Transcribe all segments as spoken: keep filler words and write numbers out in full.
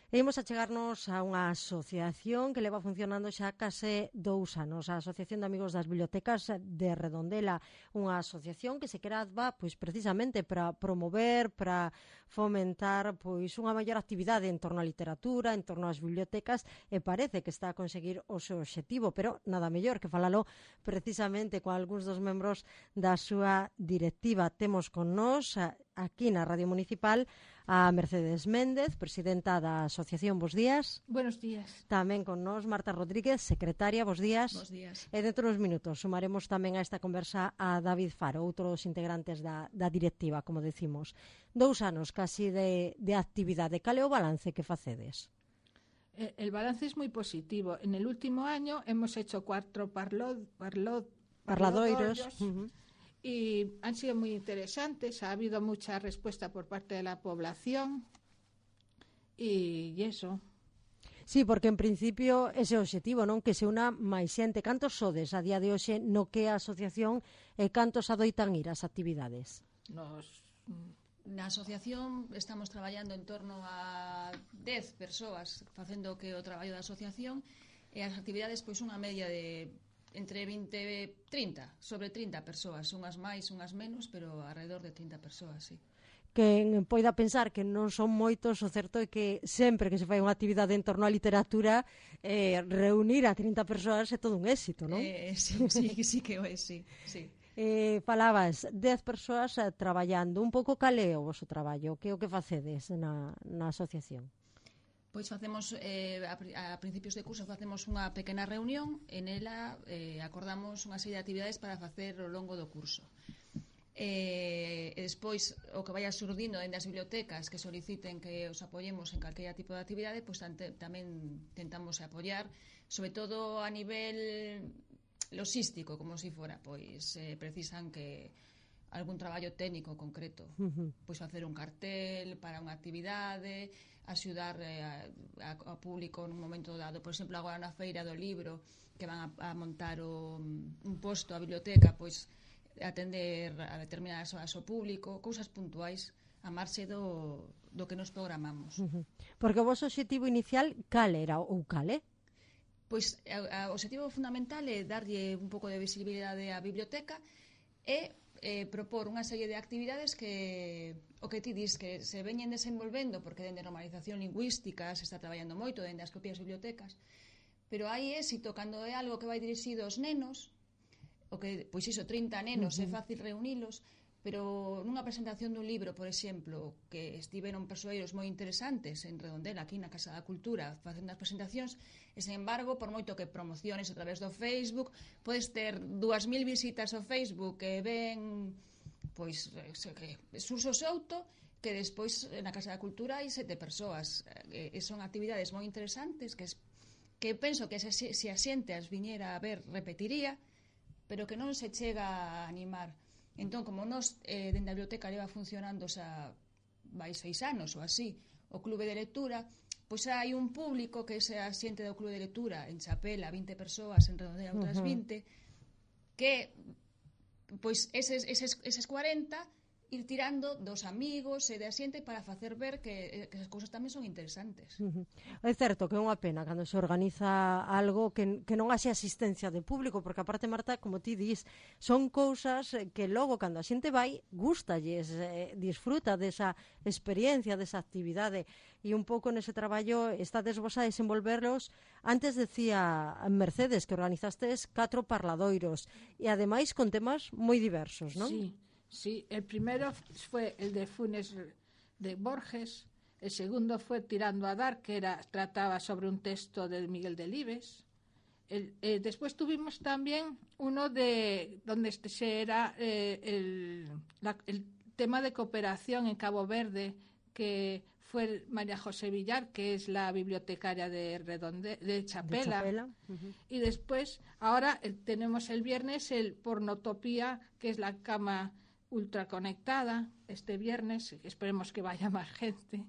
E imos a chegarnos a unha asociación que leva funcionando xa case dous anos, a Asociación de Amigos das Bibliotecas de Redondela, unha asociación que se creaba pois precisamente para promover, para fomentar pois unha maior actividade en torno á literatura, en torno ás bibliotecas, e parece que está a conseguir o seu obxectivo, pero nada mellor que falalo precisamente con algúns dos membros da súa directiva. Temos con nós aquí na Radio Municipal a Mercedes Méndez, presidenta da Asociación. Bos días. Buenos días. Tamén con nós Marta Rodríguez, secretaria. Bos días. Bos días. E dentro dos minutos sumaremos tamén a esta conversa a David Faro, outro dos integrantes da, da directiva, como decimos. Dous anos casi de, de actividade. Cal é o balance que facedes? El balance es muy positivo. En el último año hemos hecho cuatro parlo, parlo, parladoiros. Uh -huh. Y han sido muy interesantes, ha habido mucha respuesta por parte de la población y, y eso. Sí, porque en principio ese é o obxectivo, non? Que se una máis xente. Cantos sodes a día de hoxe no que é a asociación e cantos adoitan ir ás actividades? Nos... Na asociación estamos traballando en torno a dez persoas facendo que o traballo da asociación, e as actividades pois unha media de entre vinte e trinta, sobre trinta persoas, unhas máis, unhas menos, pero alrededor de trinta persoas, sí. Quen poida pensar que non son moitos, o certo é que sempre que se fai unha actividade en torno á literatura, eh, reunir a trinta persoas é todo un éxito, non? Eh, sí, sí, sí que o é, sí, sí. Eh, falabas dez persoas eh, traballando, un pouco cal é o vosso traballo, que é o que facedes na, na asociación? Pois facemos, eh, a, a principios de curso facemos unha pequena reunión, en ela eh, acordamos unha serie de actividades para facer ao longo do curso. Eh, e despois, o que vaya surdindo dende as bibliotecas que soliciten que os apoyemos en calquera tipo de actividade, pois tante, tamén tentamos apoiar, sobre todo a nivel logístico, como se si fora, pois eh, precisan que algún traballo técnico concreto, uh-huh. Pois facer un cartel para unha actividade, axudar eh, a, a, a público nun momento dado, por exemplo, agora na feira do libro que van a, a montar o, un posto a biblioteca, pois atender a determinadas horas ao público, cousas puntuais a marxe do, do que nos programamos. Uh-huh. Porque o vosso objetivo inicial cal era ou cal é? Pois o objetivo fundamental é darlle un pouco de visibilidade á biblioteca e eh, propor unha serie de actividades que o que ti dis que se veñen desenvolvendo, porque dende normalización lingüística se está traballando moito dende as propias bibliotecas, pero hai éxito cando é algo que vai dirixido aos nenos, o que, pois iso, trinta nenos, uh-huh. É fácil reunilos, pero nunha presentación dun libro, por exemplo, que estiveron persoeiros moi interesantes en Redondela, aquí na Casa da Cultura, facendo as presentacións, e, sen embargo, por moito que promociones a través do Facebook, podes ter dúas mil visitas ao Facebook que ven, pois, que Suso Souto, que despois na Casa da Cultura hai sete persoas, e son actividades moi interesantes, que, que penso que se, se a xente as viñera a ver, repetiría, pero que non se chega a animar. Entón, como nós, eh, dende a biblioteca leva funcionando xa vai seis anos ou así, o clube de lectura, pois hai un público que é a xente do clube de lectura en Chapela, vinte persoas, en Redondela outras vinte, que pois eses, eses, eses cuarenta ir tirando dos amigos e da xente para facer ver que, que as cousas tamén son interesantes. Uh-huh. É certo que é unha pena cando se organiza algo que, que non haxe asistencia de público, porque aparte, Marta, como ti dis, son cousas que logo cando a xente vai, gustalles, eh, disfruta desa experiencia, desa actividade, e un pouco nese traballo estades vos a desenvolverlos. Antes decía Mercedes que organizastes catro parladoiros e ademais con temas moi diversos, non? Sí. Sí, el primero fue el de Funes de Borges, el segundo fue Tirando a Dar, que era, trataba sobre un texto de Miguel Delibes. El, eh, después tuvimos también uno de donde este era eh, el, la, el tema de cooperación en Cabo Verde, que fue María José Villar, que es la bibliotecaria de, Redonde, de Chapela. De Chapela. Uh-huh. Y después, ahora eh, tenemos el viernes el Pornotopía, que es la cama ultraconectada, este viernes, esperemos que vaya máis gente.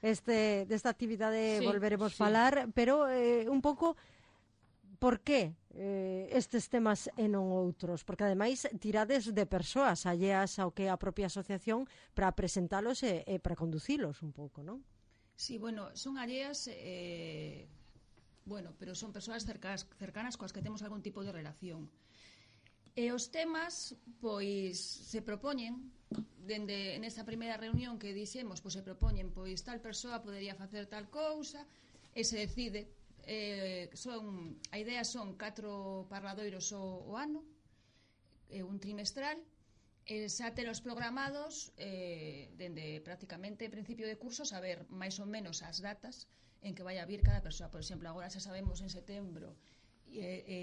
Este, desta actividade sí, volveremos sí. falar, pero eh, un pouco por que eh, estes temas e non outros? Porque ademais tirades de persoas alleas ao que é a propia asociación para presentalos e, e para conducilos un pouco, non? Sí, bueno, son alleas, eh, bueno, pero son persoas cercanas, cercanas coas que temos algún tipo de relación. E os temas, pois, se propoñen, dende nesta primeira reunión que dixemos, pois se propoñen, pois tal persoa podería facer tal cousa, e se decide. Eh, son, a idea son catro parladoiros o, o ano, eh, un trimestral, e xa telos programados eh, dende prácticamente principio de curso, saber máis ou menos as datas en que vai a vir cada persoa. Por exemplo, agora xa sabemos en setembro e, e,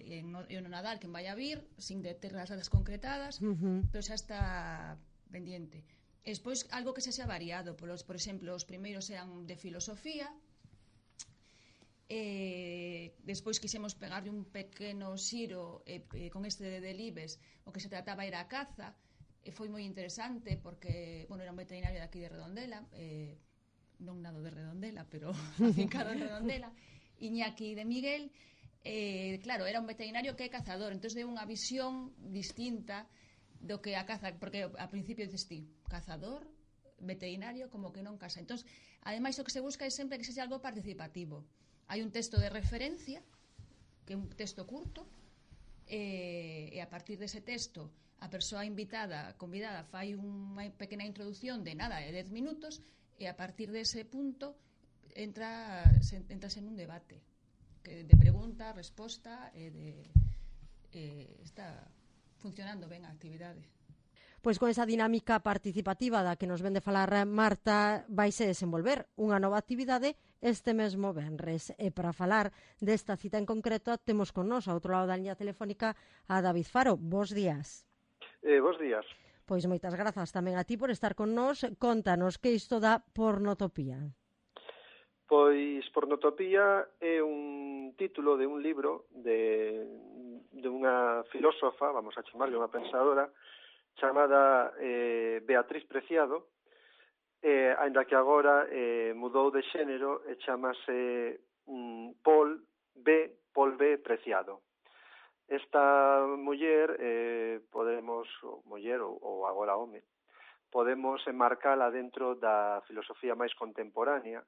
e, en, no, e no Nadal quen vai a vir, sin de ter as datas concretadas, uh-huh. pero xa está pendiente. E despois, algo que xa xa variado, por, por exemplo, os primeiros eran de filosofía. Eh, despois quixemos pegarle un pequeno xiro eh, eh, con este de Delibes, o que se trataba era a caza, e foi moi interesante porque, bueno, era un veterinario de aquí de Redondela, eh, non nado de Redondela, pero afincado en Redondela, Iñaki de Miguel. Eh, claro, era un veterinario que é cazador, entón deu unha visión distinta do que a caza, porque ao principio dices ti, cazador, veterinario, como que non casa. Entón, ademais, o que se busca é sempre que sexa algo participativo. Hai un texto de referencia, que é un texto curto, e, e a partir dese texto a persoa invitada, convidada, fai unha pequena introducción de nada, de dez minutos, e a partir dese punto entra, se, entrase nun debate que de pregunta, resposta, e de, e está funcionando ben a actividade. Pois con esa dinámica participativa da que nos vende falar Marta, vaise desenvolver unha nova actividade este mesmo venres. E para falar desta cita en concreto, temos con nós, ao outro lado da liña telefónica, a David Faro. Bos días. Eh, bos días. Pois moitas grazas tamén a ti por estar con nós. Contanos que isto da pornotopía. Pois pornotopía é un título de un libro de, de unha filósofa, vamos a chamarlle unha pensadora, chamada eh, Beatriz Preciado, eh, ainda que agora eh, mudou de xénero e chamase mm, Paul B. Paul B. Preciado. Esta muller, eh, podemos, ou muller ou, ou agora home, podemos enmarcala dentro da filosofía máis contemporánea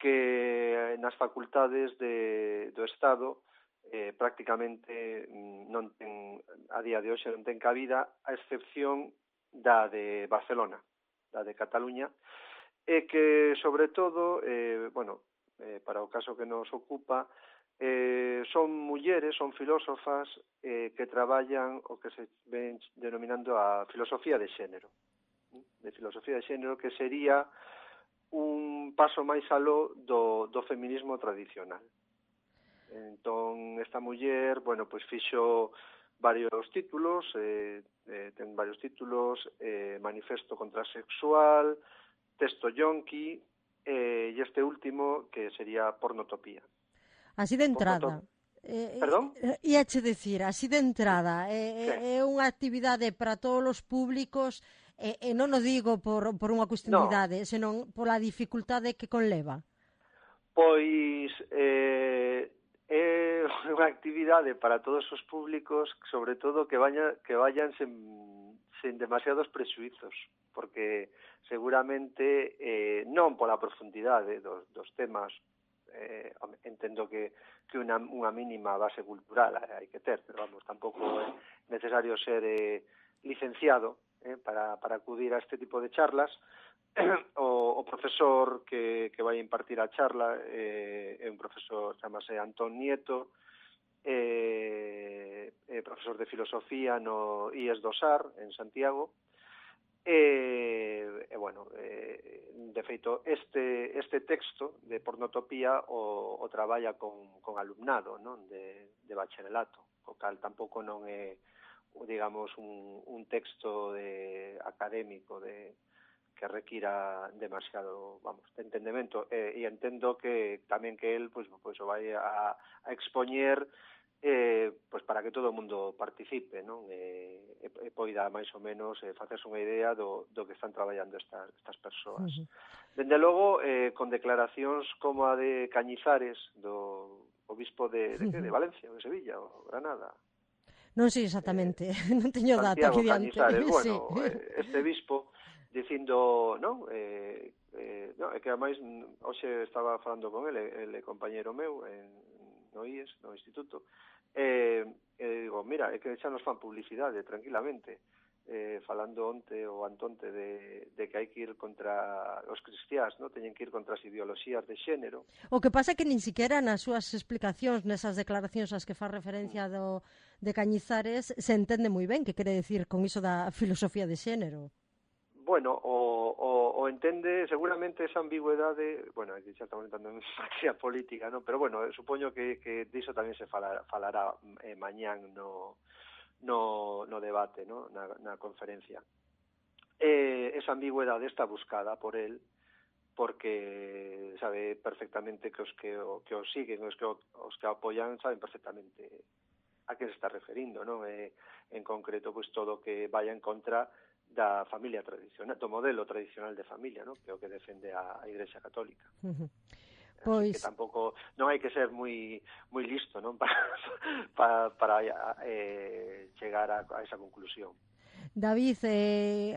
que nas facultades de, do Estado eh, prácticamente non ten, a día de hoxe non ten cabida, a excepción da de Barcelona, da de Cataluña, e que, sobre todo, eh, bueno, eh, para o caso que nos ocupa, eh, son mulleres, son filósofas eh, que traballan o que se ven denominando a filosofía de xénero, de filosofía de xénero, que sería un paso máis aló do, do feminismo tradicional. Entón, esta muller, bueno, pois fixo varios títulos, eh, eh, ten varios títulos, eh, Manifesto Contrasexual, Texto Yonki, eh, e este último, que sería Pornotopía. Así de entrada. Eh, Perdón? E a che decir, así de entrada, é eh, eh, unha actividade para todos os públicos, e eh, eh, non o digo por, por unha cuestión de idade, no. senón pola dificultade que conleva. Pois eh, é unha actividade para todos os públicos, sobre todo que, vaya, que vayan sen, sen demasiados prexuizos, porque seguramente eh, non pola profundidade dos, dos temas, eh, entendo que, que unha, unha mínima base cultural hai que ter, pero vamos, tampouco é necesario ser eh, licenciado eh, para, para acudir a este tipo de charlas. O, o profesor que, que vai impartir a charla eh, é un profesor, chamase Antón Nieto, eh, é profesor de filosofía no I E S do Sar, en Santiago, e, e bueno, eh, de feito, este, este texto de Pornotopía o, o traballa con, con alumnado, non? De, de bacharelato, o cal tampouco non é, digamos, un, un texto de, académico de que requira demasiado, vamos, de entendemento, e, e entendo que tamén que el pois, pois o vai a, a expoñer eh, pois para que todo o mundo participe, non? E, e, e poida máis ou menos eh, facerse unha idea do, do que están traballando estas, estas persoas. Uh-huh. Dende logo, eh, con declaracións como a de Cañizares, do obispo de, de, uh-huh. de Valencia, ou de Sevilla, ou Granada. Non sei exactamente, eh, non teño data aquí diante. Cañizares, bueno, sí. este obispo dicindo, non, eh, eh, no, é que ademais hoxe estaba falando con ele, ele é compañeiro meu en, no I E S, no Instituto, e, e digo, mira, é que xa nos fan publicidade tranquilamente, eh, falando onte ou antonte de, de que hai que ir contra os cristiás, ¿no? Teñen que ir contra as ideoloxías de xénero. O que pasa é que nin siquiera nas súas explicacións, nesas declaracións ás que fa referencia do, de Cañizares, se entende moi ben que quere decir con iso da filosofía de xénero. Bueno, o, o, o entende seguramente esa ambigüedade, bueno, aquí xa estamos entrando en materia política, ¿no? Pero bueno, supoño que, que diso tamén se falará, falará eh, mañán no, no, no debate, ¿no? Na, na conferencia. Eh, esa ambigüedade está buscada por él porque sabe perfectamente que os que o, que os siguen, os que o, os que o apoyan saben perfectamente a que se está referindo, ¿no? Eh, en concreto, pues todo que vaya en contra da familia tradicional, do modelo tradicional de familia, ¿no? Que é o que defende a, a Igrexa Católica. Uh-huh. Pois... Pois... que tampouco, non hai que ser moi moi listo, non? Para, para, para eh, chegar a, a esa conclusión. David, eh,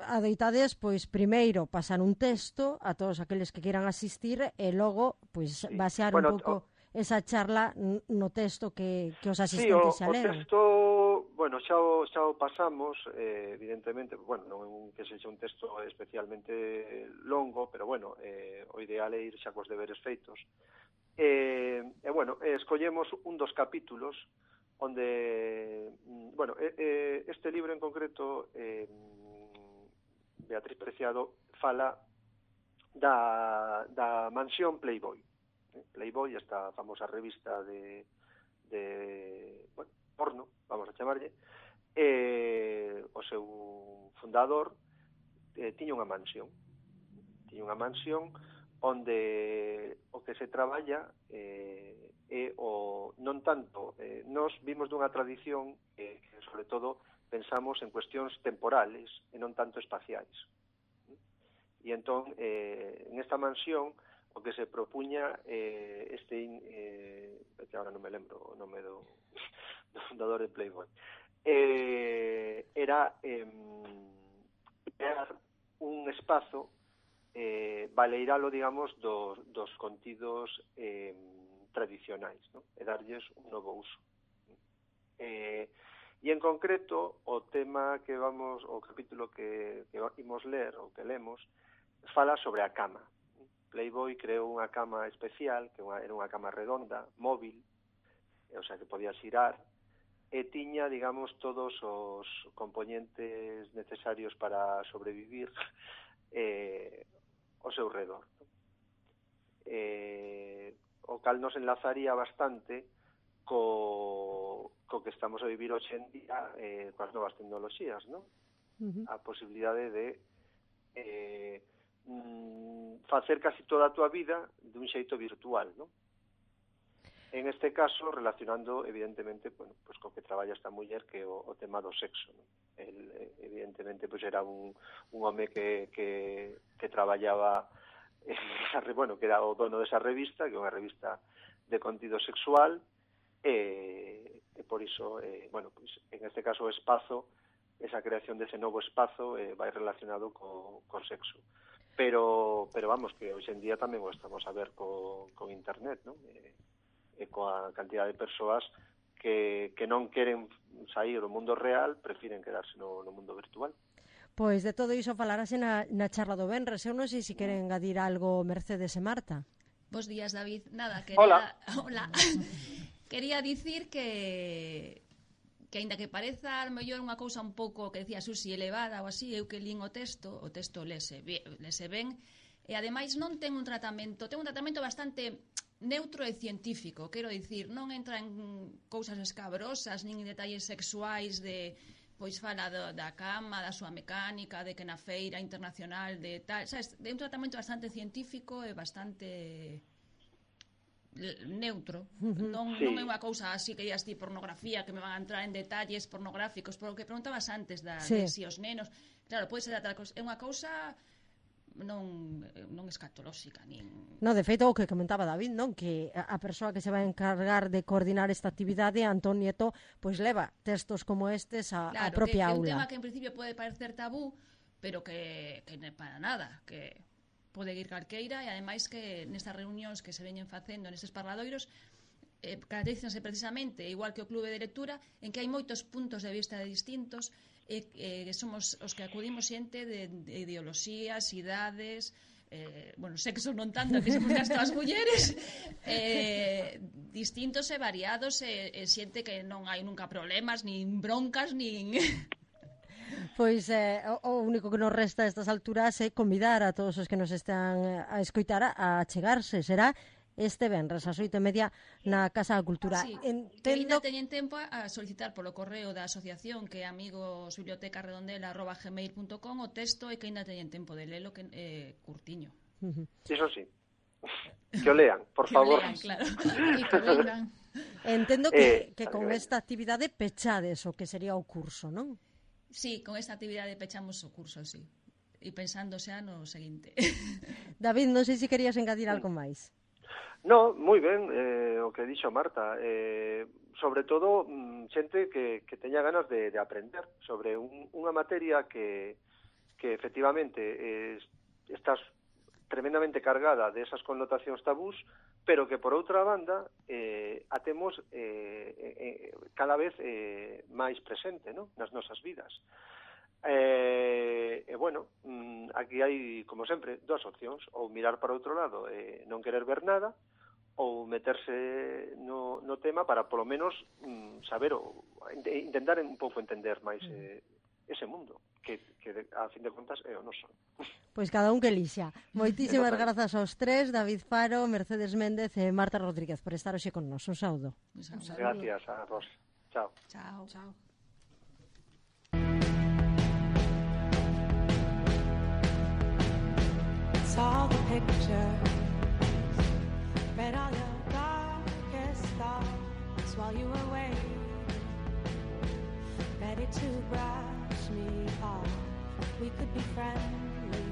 adoitades, pois, primeiro pasar un texto a todos aqueles que queiran asistir e logo, pois, sí. basear bueno, un pouco o... esa charla no texto que, que os asistentes sí, xa leron. Sí, o texto, bueno, xa o, xa o pasamos, eh, evidentemente, bueno, non é un, que sexa un texto especialmente longo, pero bueno, eh, o ideal é ir xa cos deberes feitos. E, eh, eh, bueno, eh, escollemos un dos capítulos onde, bueno, eh, este libro en concreto, eh, Beatriz Preciado fala da, da mansión Playboy. Playboy, esta famosa revista de, de bueno, porno, vamos a chamarlle, eh, o seu fundador eh, tiña unha mansión. Tiña unha mansión onde o que se traballa eh, é o non tanto, eh, nos vimos dunha tradición eh, que sobre todo pensamos en cuestións temporales e non tanto espaciais. E entón, eh, en esta mansión o que se propuña eh, este eh, que agora non me lembro o nome do, do fundador de Playboy, eh, era eh, crear un espazo eh, baleiralo, digamos, dos, dos contidos eh, tradicionais, ¿no? E darlles un novo uso. Eh, e en concreto o tema que vamos, o capítulo que, que imos ler ou que lemos fala sobre a cama. Playboy creou unha cama especial, que era unha cama redonda, móvil, o sea, que podía xirar, e tiña, digamos, todos os componentes necesarios para sobrevivir eh, ao seu redor. Eh, o cal nos enlazaría bastante co, co que estamos a vivir hoxe en día eh, coas novas tecnoloxías, ¿no? Uh-huh. A posibilidade de eh, facer casi toda a túa vida dun xeito virtual, ¿no? En este caso, relacionando, evidentemente, bueno, pues co que traballa esta muller, que o, o tema do sexo, ¿no? El, evidentemente, pues era un, un home que, que, que traballaba, esa, bueno, que era o dono desa revista, que é unha revista de contido sexual, e, e por iso, eh, bueno, pues, en este caso o espazo, esa creación dese novo espazo eh, vai relacionado co, co sexo. Pero, pero vamos, que hoxe en día tamén o estamos a ver co, con internet, ¿no? E, e coa cantidad de persoas que, que non queren sair do mundo real, prefiren quedarse no, no mundo virtual. Pois de todo iso falarase na, na charla do Benres. Eu non sei se queren engadir algo Mercedes e Marta. Bos días, David. Nada, quería... Hola. Hola. Quería dicir que... que aínda que pareza a mellor unha cousa un pouco que decía Susi elevada ou así, eu que lín o texto, o texto lese, lese ben, e ademais non ten un tratamento, ten un tratamento bastante neutro e científico, quero dicir, non entra en cousas escabrosas, nin en detalles sexuais de, pois fala do, da cama, da súa mecánica, de que na feira internacional de tal, sabes, de un tratamento bastante científico e bastante neutro, non, sí. non é unha cousa así que digas ti pornografía, que me van a entrar en detalles pornográficos, por o que preguntabas antes da, sí. de si os nenos, claro, pode ser tal cousa, é unha cousa non, non escatolóxica nin... No, de feito, o que comentaba David, non? Que a persoa que se vai encargar de coordinar esta actividade, Antón Nieto, pois leva textos como estes a, claro, a propia que, aula. Que é un tema que en principio pode parecer tabú, pero que, que non é para nada, que pode ir calqueira, e ademais que nestas reunións que se veñen facendo nestes parladoiros eh, caracterízanse precisamente, igual que o clube de lectura, en que hai moitos puntos de vista distintos, e eh, somos os que acudimos xente de, de ideoloxías, idades, eh, bueno, sexos non tanto, que somos as todas mulleres, eh, distintos e variados, e, e xente que non hai nunca problemas, nin broncas, nin... Pois eh, o único que nos resta a estas alturas é convidar a todos os que nos están a escoitar a chegarse. Será este venres ás oito e media na Casa da Cultura. Sí, Entendo... que ainda teñen tempo a solicitar polo correo da asociación, que é amigosbibliotecaredondela arroba gmail punto com, o texto, e que ainda teñen tempo de lelo, que é eh, curtiño. Uh-huh. Iso sí. Que o lean, por que favor. O lean, claro. E que vengan. Entendo que, Eh, que con esta actividade pechades o que sería o curso, non? Sí, con esta actividade pechamos o curso, sí. E pensando xa no seguinte. David, non sei se querías engadir algo máis. No, moi ben, eh, o que dixo Marta, eh, sobre todo mm, xente que, que teña ganas de, de aprender sobre un, unha materia que, que efectivamente eh, está tremendamente cargada de esas connotacións tabús, pero que por outra banda eh, a temos eh, eh, cada vez eh, máis presente, ¿no?, nas nosas vidas. E, eh, eh, bueno, aquí hai, como sempre, dúas opcións: ou mirar para outro lado e eh, non querer ver nada, ou meterse no, no tema para, polo menos, mm, saber ou intentar un pouco entender máis eh, ese mundo, que, que a fin de contas é o noso. Pois cada un que elixa. Moitísimas grazas aos tres, David Faro, Mercedes Méndez e Marta Rodríguez, por estar hoxe con nos. Un saúdo. Un saúdo. Gracias a vos. Chao. Chao. Chao. Saw the pictures, read all your darkest thoughts while you were waiting, ready to brush me off. We could be friendly,